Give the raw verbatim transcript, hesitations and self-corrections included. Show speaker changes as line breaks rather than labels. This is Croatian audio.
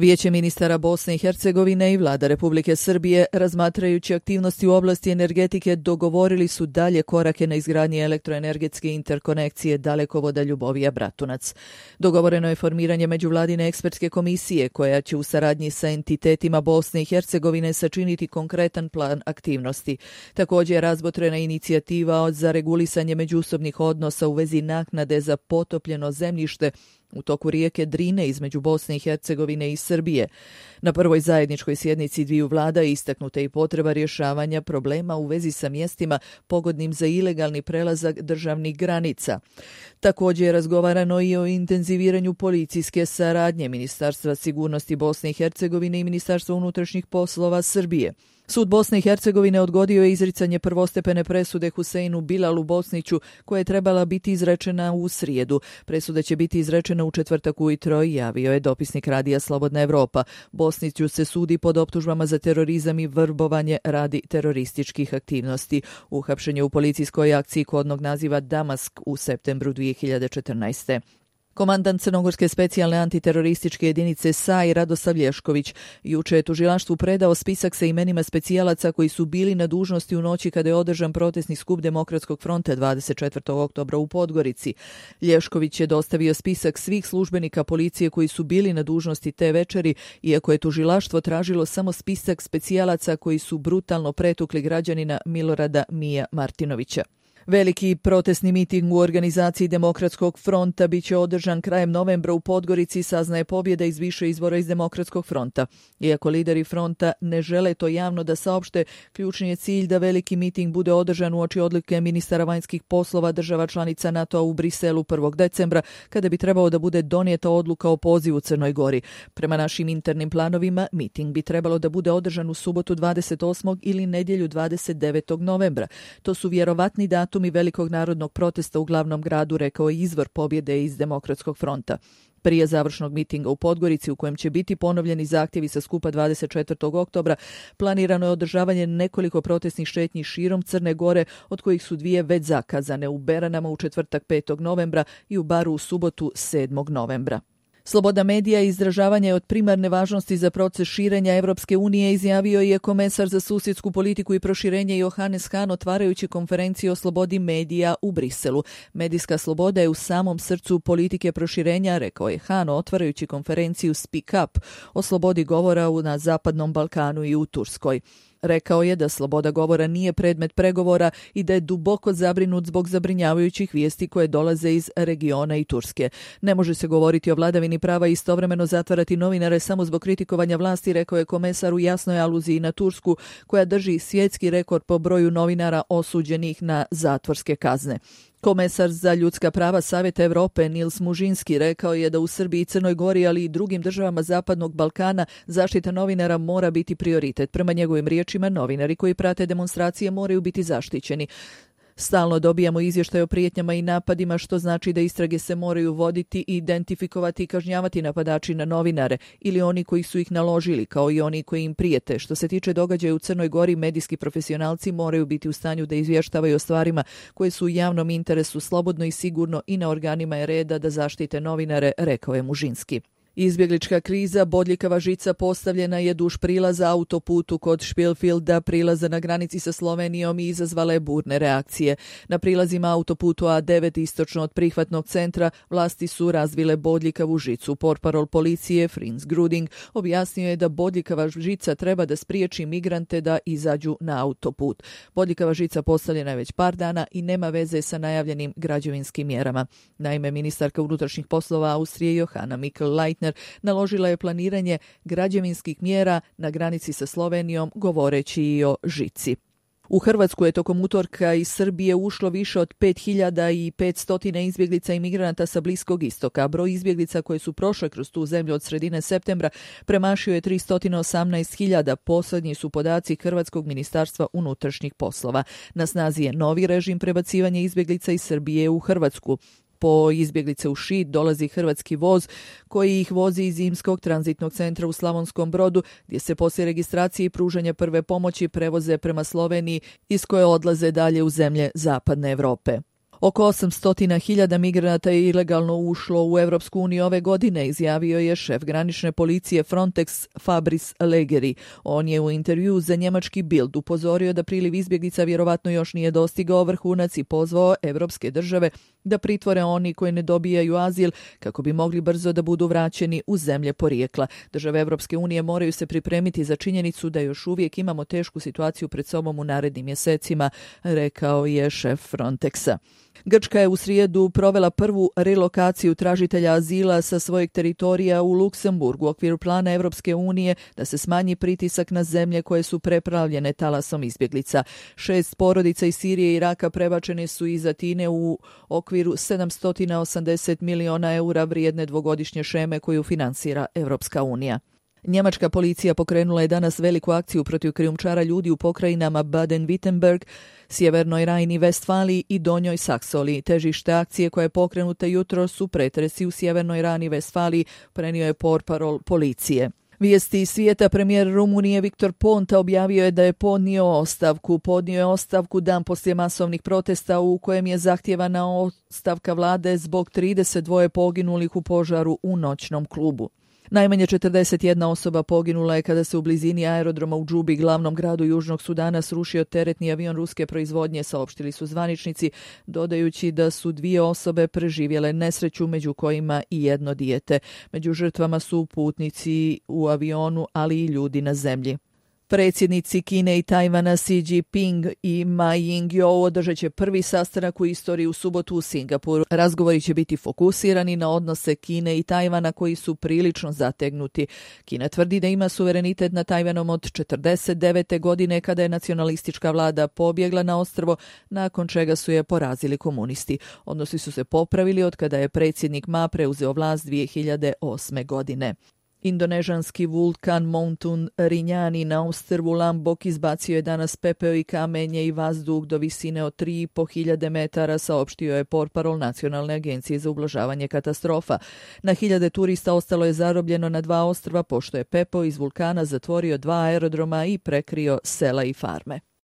Vijeće ministara Bosne i Hercegovine i vlada Republike Srbije, razmatrajući aktivnosti u oblasti energetike, dogovorili su dalje korake na izgradnji elektroenergetske interkonekcije dalekovoda Ljubovija-Bratunac. Dogovoreno je formiranje međuvladine ekspertske komisije koja će u saradnji sa entitetima Bosne i Hercegovine sačiniti konkretan plan aktivnosti. Također je razmotrena inicijativa za regulisanje međusobnih odnosa u vezi naknade za potopljeno zemljište u toku rijeke Drine između Bosne i Hercegovine i Srbije. Na prvoj zajedničkoj sjednici dviju vlada istaknuta i potreba rješavanja problema u vezi sa mjestima pogodnim za ilegalni prelazak državnih granica. Također je razgovarano i o intenziviranju policijske saradnje Ministarstva sigurnosti Bosne i Hercegovine i Ministarstva unutrašnjih poslova Srbije. Sud Bosne i Hercegovine odgodio je izricanje prvostepene presude Huseinu Bilalu Bosniću koja je trebala biti izrečena u srijedu. Presuda će biti izrečena u četvrtak ujutro, javio je dopisnik radija Slobodna Evropa. Bosniću se sudi pod optužbama za terorizam i vrbovanje radi terorističkih aktivnosti. Uhapšen je u policijskoj akciji kodnog naziva Damask u septembru dvije hiljade četrnaeste. Komandant Crnogorske specijalne antiterorističke jedinice S A I Radoslav Lješković juče je tužilaštvu predao spisak sa imenima specijalaca koji su bili na dužnosti u noći kada je održan protestni skup Demokratskog fronta dvadeset četvrtog oktobra u Podgorici. Lješković je dostavio spisak svih službenika policije koji su bili na dužnosti te večeri, iako je tužilaštvo tražilo samo spisak specijalaca koji su brutalno pretukli građanina Milorada Mija Martinovića. Veliki protestni miting u organizaciji Demokratskog fronta biće održan krajem novembra u Podgorici, saznaje pobjeda iz više izvora iz Demokratskog fronta. Iako lideri fronta ne žele to javno da saopšte, ključni je cilj da veliki miting bude održan uoči odluke ministara vanjskih poslova država članica NATO-a u Briselu prvog decembra, kada bi trebao da bude donijeta odluka o pozivu Crnoj Gori. Prema našim internim planovima, miting bi trebalo da bude održan u subotu dvadeset osmog ili nedjelju dvadeset devetog novembra. To su vjerovatni datumi velikog narodnog protesta u glavnom gradu, rekao je izvor pobjede iz Demokratskog fronta. Prije završnog mitinga u Podgorici, u kojem će biti ponovljeni zahtjevi sa skupa dvadeset četvrtog oktobra, planirano je održavanje nekoliko protestnih šetnji širom Crne Gore, od kojih su dvije već zakazane, u Beranama u četvrtak petog novembra i u Baru u subotu sedmog novembra. Sloboda medija i izražavanja je od primarne važnosti za proces širenja Evropske unije, izjavio je komesar za susjedsku politiku i proširenje Johannes Hahn otvarajući konferenciju o slobodi medija u Briselu. Medijska sloboda je u samom srcu politike proširenja, rekao je Hahn otvarajući konferenciju Speak Up o slobodi govora na Zapadnom Balkanu i u Turskoj. Rekao je da sloboda govora nije predmet pregovora i da je duboko zabrinut zbog zabrinjavajućih vijesti koje dolaze iz regiona i Turske. Ne može se govoriti o vladavini prava i istovremeno zatvarati novinare samo zbog kritikovanja vlasti, rekao je komesar u jasnoj aluziji na Tursku, koja drži svjetski rekord po broju novinara osuđenih na zatvorske kazne. Komesar za ljudska prava Savjeta Evrope Nils Mužinski rekao je da u Srbiji i Crnoj Gori, ali i drugim državama Zapadnog Balkana, zaštita novinara mora biti prioritet. Prema njegovim riječima, novinari koji prate demonstracije moraju biti zaštićeni. Stalno dobijamo izvještaje o prijetnjama i napadima, što znači da istrage se moraju voditi, identifikovati i kažnjavati napadači na novinare ili oni koji su ih naložili, kao i oni koji im prijete. Što se tiče događaja u Crnoj Gori, medijski profesionalci moraju biti u stanju da izvještavaju o stvarima koje su u javnom interesu, slobodno i sigurno, i na organima je reda da zaštite novinare, rekao je Mužinski. Izbjeglička kriza, bodljikava žica postavljena je duž prilaza autoputu kod Špilfilda, prilaza na granici sa Slovenijom, i izazvala je burne reakcije. Na prilazima autoputu A devet istočno od prihvatnog centra vlasti su razvile bodljikavu žicu. Portparol policije Frins Gruding objasnio je da bodljikava žica treba da spriječi migrante da izađu na autoput. Bodljikava žica postavljena je već par dana i nema veze sa najavljenim građevinskim mjerama. Naime, ministarka unutrašnjih poslova Austrije Johanna Mikl-Leitner naložila je planiranje građevinskih mjera na granici sa Slovenijom, govoreći i o žici. U Hrvatsku je tokom utorka iz Srbije ušlo više od pet hiljada petsto izbjeglica i migranata sa Bliskog istoka. Broj izbjeglica koje su prošle kroz tu zemlju od sredine septembra premašio je tristo osamnaest hiljada. Posljednji su podaci Hrvatskog ministarstva unutrašnjih poslova. Na snazi je novi režim prebacivanja izbjeglica iz Srbije u Hrvatsku. Po izbjeglice u Šid dolazi hrvatski voz koji ih vozi iz Zimskog tranzitnog centra u Slavonskom Brodu, gdje se poslije registracije i pružanja prve pomoći prevoze prema Sloveniji, iz koje odlaze dalje u zemlje Zapadne Evrope. Oko osamsto hiljada migranata je ilegalno ušlo u Europsku uniju ove godine, izjavio je šef granične policije Frontex Fabrice Leggeri. On je u intervju za njemački Bild upozorio da priliv izbjeglica vjerovatno još nije dostigao vrhunac i pozvao evropske države da pritvore oni koji ne dobijaju azil kako bi mogli brzo da budu vraćeni u zemlje porijekla. Države Evropske unije moraju se pripremiti za činjenicu da još uvijek imamo tešku situaciju pred sobom u narednim mjesecima, rekao je šef Frontexa. Grčka je u srijedu provela prvu relokaciju tražitelja azila sa svojeg teritorija u Luksemburgu u okviru plana Evropske unije da se smanji pritisak na zemlje koje su preplavljene talasom izbjeglica. Šest porodica iz Sirije i Iraka prebačene su iz Atine u okviru sedamsto osamdeset miliona eura vrijedne dvogodišnje šeme koju finansira Evropska unija. Njemačka policija pokrenula je danas veliku akciju protiv krijumčara ljudi u pokrajinama Baden-Württemberg, Sjevernoj Rajni-Vestfaliji i Donjoj Saksoli. Težište akcije koja je pokrenuta jutros su pretresi u Sjevernoj Rajni-Vestfaliji, prenio je portparol policije. Vijesti iz svijeta. Premijer Rumunije Viktor Ponta objavio je da je podnio ostavku. Podnio je ostavku dan poslije masovnih protesta u kojem je zahtijevana ostavka vlade zbog trideset dva poginulih u požaru u noćnom klubu. Najmanje četrdeset jedna osoba poginula je kada se u blizini aerodroma u Džubi, glavnom gradu Južnog Sudana, srušio teretni avion ruske proizvodnje, saopštili su zvaničnici, dodajući da su dvije osobe preživjele nesreću, među kojima i jedno dijete. Među žrtvama su putnici u avionu, ali i ljudi na zemlji. Predsjednici Kine i Tajvana Xi Jinping i Ma Ying-jeou održat će prvi sastanak u istoriji u subotu u Singapuru. Razgovori će biti fokusirani na odnose Kine i Tajvana koji su prilično zategnuti. Kina tvrdi da ima suverenitet nad Tajvanom od četrdeset devete godine kada je nacionalistička vlada pobjegla na ostrvo, nakon čega su je porazili komunisti. Odnosi su se popravili od kada je predsjednik Ma preuzeo vlast dvije hiljade osme. godine. Indonežanski vulkan Mountain Rinjani na ostrvu Lombok izbacio je danas pepeo i kamenje i vazduh do visine od tri i po hiljade metara, saopštio je portparol Nacionalne agencije za ublažavanje katastrofa. Na hiljade turista ostalo je zarobljeno na dva ostrva pošto je pepeo iz vulkana zatvorio dva aerodroma i prekrio sela i farme.